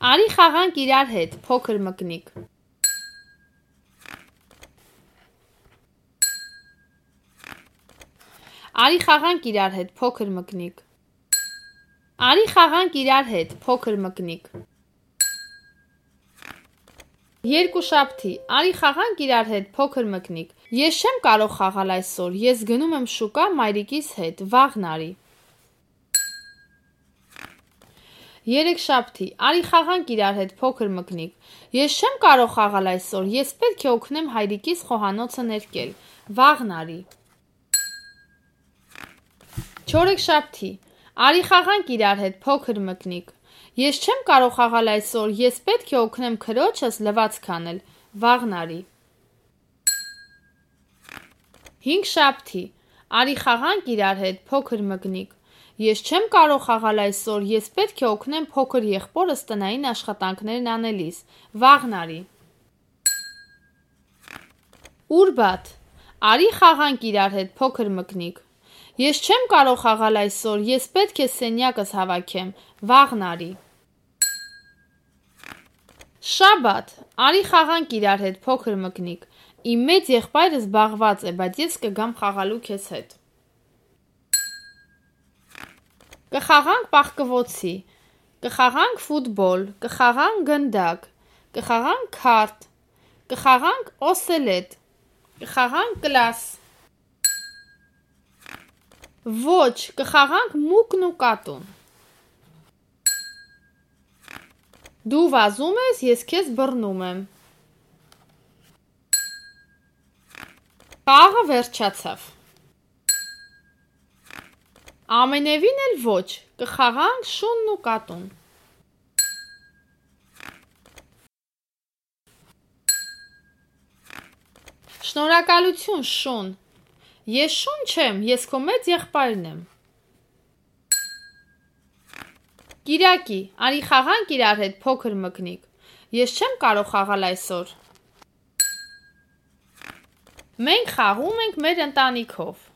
Արի խաղանք իրար հետ, փոքր մկնիկ։ Արի խաղանք իրար հետ, փոքր մկնիկ։ Արի խաղանք իրար հետ, փոքր մկնիկ։ Երկուշաբթի, արի խաղանք իրար հետ, փոքր մկնիկ։ Ես չեմ կարող խաղալ այսօր, ես գնում եմ շուկա մայրիկիս հետ, վաղն արի։ Երեքշաբթի, արի խաղանք իրար հետ, փոքր մկնիկ։ Ես չեմ կարող խաղալ այսօր, ես պետք է օգնեմ հայրիկիս խոհանոցը ներկել, վաղն արի։ Չորեքշաբթի, արի խաղանք իրար հետ, փոքր մկնիկ։ Ես չեմ կարող խաղալ այսօր, ես պետք է օգնեմ քրոջս լվացք անել, վաղն արի։ Հինգշաբթի, արի խաղանք իրար հետ, փոքր մկնիկ։ Ես չեմ կարող խաղալ այսօր, ես պետք է օգնեմ փոքր եղբորս տնային աշխատանքներն անելիս, վաղն արի։ Ուրբաթ, արի խաղանք իրար հետ, փոքր մկնիկ։ Ես չեմ կարող խաղալ այսօր, ես պետք է սենյակս հավաքեմ, վաղն արի։ Շաբաթ, արի խաղանք իրար հետ, փոքր մկնիկ։ Իմ մեծ եղբայրը զբաղված է, բայց ես կգամ խաղալու քեզ հետ։ Կխաղանք պաղկվոցի, կխաղանք ֆուտբոլ, կխաղանք գնդակ, կխաղանք քարտ, կխաղանք օսելետ, կխաղանք կլաս։ Ոչ, կխաղանք մուկն ու կատուն։ Դու վազում ես, ես քեզ բռնում եմ։ Խաղը վերջացավ։ Ամենևին էլ ոչ, կխաղանք շունն ու կատուն։ Շնորհակալություն, շուն։ Ես շուն չեմ, ես քո մեծ եղբայրն եմ։ Կիրակի, արի խաղանք իրար հետ, փոքր մկնիկ։ Ես չեմ կարող խաղալ այսօր։ Մենք խաղում ենք մեր ընտանիքով։